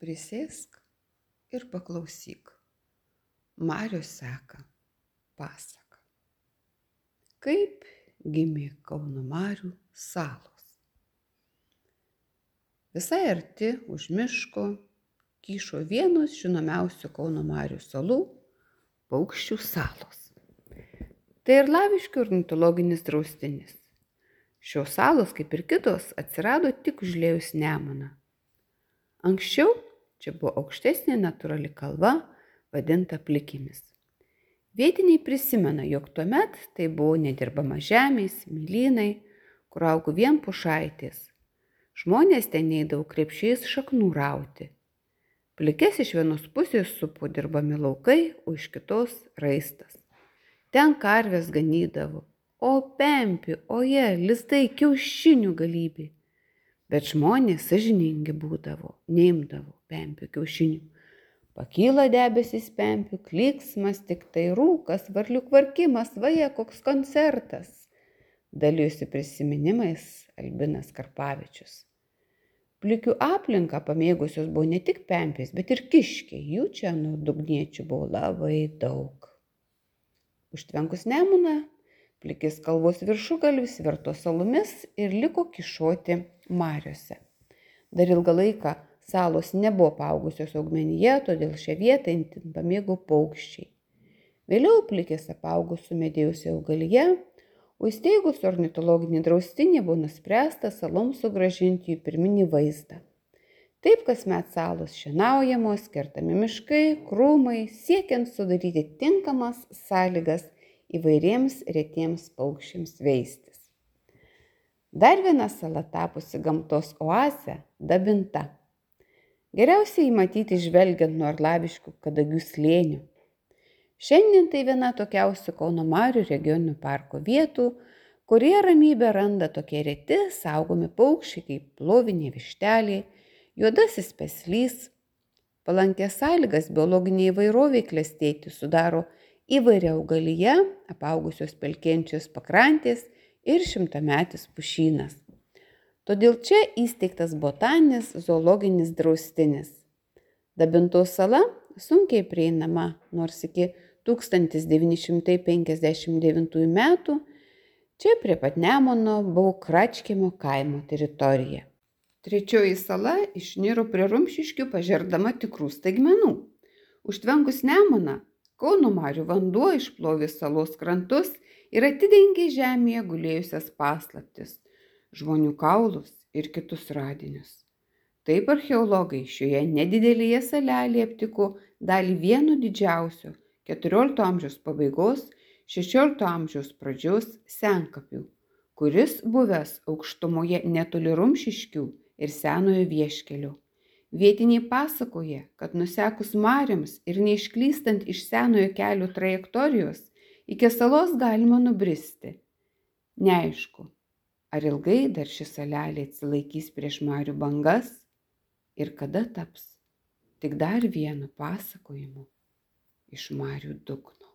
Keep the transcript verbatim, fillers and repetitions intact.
Prisėsk ir paklausyk. Marios seka pasaka. Kaip gimė Kauno marių salos. Visai arti už miško kyšo vienos žinomiausių Kauno marių salų – Paukščių salos. Tai Arlaviškių ornitologinis draustinis. Šios salos, kaip ir kitos, atsirado tik užliejus Nemuną. Anksčiau čia buvo aukštesnė natūrali kalva, vadinta Plikėmis. Vietiniai prisimena, jog tuomet tai buvo nedirbama žemė, smėlynai, kur augo vien pušaitės. Žmonės ten eidavo krepšiais šaknų rauti. Plikes iš vienos pusės supo dirbami laukai, o iš kitos raistas. Ten karvės ganydavo, o pempių, oje, lizdai, kiaušinių galybė. Bet žmonės sąžiningi būdavo, neimdavo pempių kiaušinių. Pakyla debesis pempių, klyksmas, tik tai rūkas, varlių kvarkimas, vaje, koks koncertas. Dalijosi prisiminimais Albinas Karpavičius. Plikių aplinką pamėgusios buvo ne tik pempės, bet ir kiškiai, jų čia nuo dugniečių buvo labai daug. Užtvenkus Nemuną, Plikės kalvos viršugalvis virto salomis ir liko kyšoti mariose. Dar ilgą laiką salos nebuvo paaugusios augmenyje, todėl šią vietą itin pamėgo paukščiai. Vėliau Plikės apaugo sumedėjusi augalija, o įsteigus ornitologinį draustinį buvo nuspręsta saloms sugrąžinti jų pirminį vaizdą. Taip kasmet salos šienaujamos, kertami miškai, krūmai, siekiant sudaryti tinkamas sąlygas įvairiems retiems paukščiams veistis. Dar viena sala tapusi gamtos oazė – Dabinta. Geriausiai matyti žvelgiant nuo Arlaviškių Kadagių slėnių. Šiandien tai viena tokiausių Kauno marių regioninio parko vietų, kurie ramybę randa tokie reti saugomi paukščiai kaip plovinė vištelė, juodasis peslys. Palankės sąlygas biologiniai įvairoviai klestėti sudaro įvairia augalija, apaugusios pelkėjančios pakrantės ir šimtametis pušynas. Todėl čia įsteigtas botaninis zoologinis draustinis. Dabintos sala sunkiai prieinama, nors iki tūkstantis devyni šimtai penkiasdešimt devintųjų metų čia prie pat Nemuno buvo Kračkiemio kaimo teritorija. Trečioji sala išniro prie Rumšiškių pažerdama tikrų staigmenų. Užtvenkus Nemuną, Kauno marių vanduo išplovė salos krantus ir atidengė žemėje gulėjusias paslaptis, žmonių kaulus ir kitus radinius. Taip archeologai šioje nedidelėje salelėje aptiko dalį vieno didžiausio keturiolikto amžiaus pabaigos, šešiolikto amžiaus pradžios senkapių, kuris buvęs aukštumoje netoli Rumšiškių ir Senojo Vieškelio. Vietiniai pasakoja, kad nusekus marioms ir neišklystant iš Senojo kelio trajektorijos, iki salos galima nubristi. Neaišku, ar ilgai dar ši salelė atsilaikys prieš marių bangas ir kada taps tik dar vienu pasakojimu iš marių dugno.